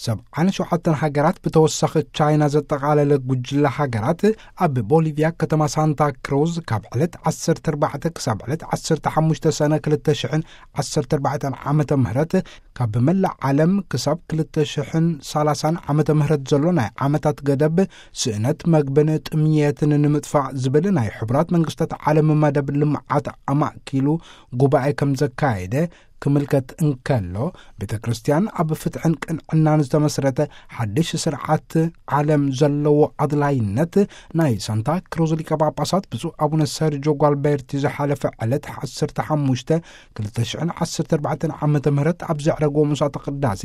ሰብዓን ሸውዓተን ሃገራት ብተወሳኺ ቻይና ዘጠቓለለ ጉጅለ ሃገራት ኣብ ቦሊቪያ ከተማ ሳንታ ክሩዝ ካብ ዕለት ዓሰርተ ኣርባዕተ ክሳብ ዕለት ዓሰርተ ሓሙሽተ ሰነ ክልተ ሽሕን ዓሰርተ ኣርባዕተን ዓመተ ምህረት ካብ መላእ ዓለም ክሳብ ክልተ ሽሕን ሰላሳን ዓመተ ምህረት ዘሎ ናይ ዓመታት ገደብ ስእነት መግብን ጥምየትን ንምጥፋእ ዝብል ናይ ሕቡራት መንግስታት ዓለም መደብ ልምዓት ኣማእኪሉ ጉባኤ ከም ዘካየደ ክምልከት እንከሎ፣ ቤተ ክርስቲያን ኣብ ፍትሕን ቅንዕናን ዝተመስረተ ሓድሽ ስርዓት ዓለም ዘለዎ ኣድላይነት ናይ ሳንታ ክሩዝ ሊቀ ጳጳሳት ብፁዕ ኣቡነ ሰርጆ ጓልቤርቲ ዝሓለፈ ዕለት ዓሰርተ ሓሙሽተ ክልተ ሽሕን ዓሰርተ ኣርባዕተን ዓመተ ምህረት ኣብ ዘዕረግዎ መስዋዕተ ቅዳሴ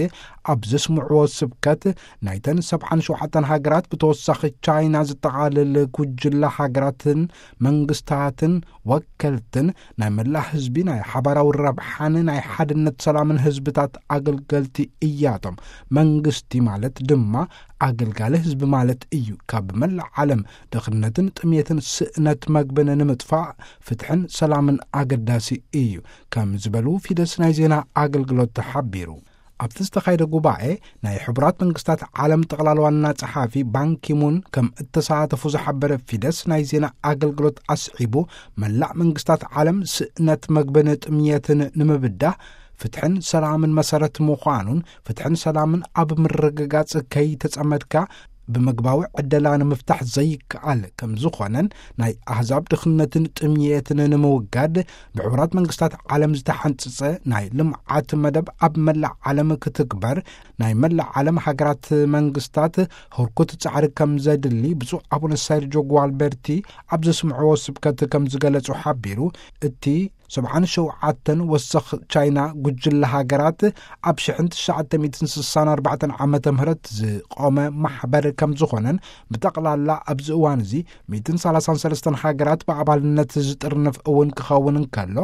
ኣብ ዘስምዕዎ ስብከት፣ ናይተን ሰብዓን ሸውዓተን ሃገራት ብተወሳኺ ቻይና ዝጠቓልል ጉጅለ ሃገራትን መንግስታትን ወከልትን ናይ መላእ ህዝቢ ናይ ሓባራዊ ረብሓን ናይ ሓድነት ሰላምን ህዝብታት ኣገልገልቲ እያቶም። መንግስቲ ማለት ድማ ኣገልጋሊ ህዝቢ ማለት እዩ። ካብ መላእ ዓለም ድኽነትን ጥሜትን ስእነት መግብን ንምጥፋእ ፍትሕን ሰላምን ኣገዳሲ እዩ ከም ዝበሉ ፊደስ ናይ ዜና ኣገልግሎት ተሓቢሩ። ኣብቲ ዝተኻየደ ጉባኤ ናይ ሕቡራት መንግስታት ዓለም ጠቕላል ዋና ጸሓፊ ባንኪሙን ከም እተሳተፉ ዝሓበረ ፊደስ ናይ ዜና ኣገልግሎት ኣስዒቡ፣ መላእ መንግስታት ዓለም ስእነት መግብን ጥምየትን ንምብዳህ ፍትሕን ሰላምን መሰረት ምዃኑን ፍትሕን ሰላምን ኣብ ምርግጋጽ ከይተጸመድካ ብመግባዊ ዕደላ ንምፍታሕ ዘይከኣል ከም ዝኾነን ናይ ኣህዛብ ድኽነትን ጥምየትን ንምውጋድ ብሕቡራት መንግስታት ዓለም ዝተሓንጽጸ ናይ ልምዓት መደብ ኣብ መላእ ዓለም ክትግበር ናይ መላእ ዓለም ሃገራት መንግስታት ህርኩት ጻዕሪ ከም ዘድሊ ብፁዕ ኣቡነ ሰርጆ ጓልቤርቲ ኣብ ዘስምዕዎ ስብከት ከም ዝገለጹ ሓቢሩ፣ እቲ ሰብዓን ሸውዓተን ወሰኽ ቻይና ጉጅለ ሃገራት ኣብ ሽሕን ትሽዓተ ሚእትን ስሳን ኣርባዕተን ዓመተ ምህረት ዝቆመ ማሕበር ከም ዝኾነን ብጠቕላላ ኣብዚ እዋን እዚ ሚእትን ሰላሳን ሰለስተን ሃገራት ብኣባልነት ዝጥርንፍ እውን ክኸውን እንከሎ፣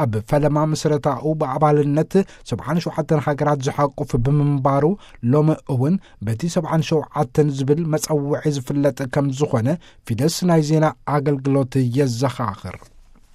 ኣብ ፈለማ ምስረታኡ ብኣባልነት ሰብዓን ሸውዓተን ሃገራት ዝሓቁፍ ብምንባሩ፣ ሎሚ እውን በቲ ሰብዓን ሸውዓተን ዝብል መጸውዒ ዝፍለጥ ከም ዝኾነ ፊደስ ናይ ዜና ኣገልግሎት የዘኻኽር።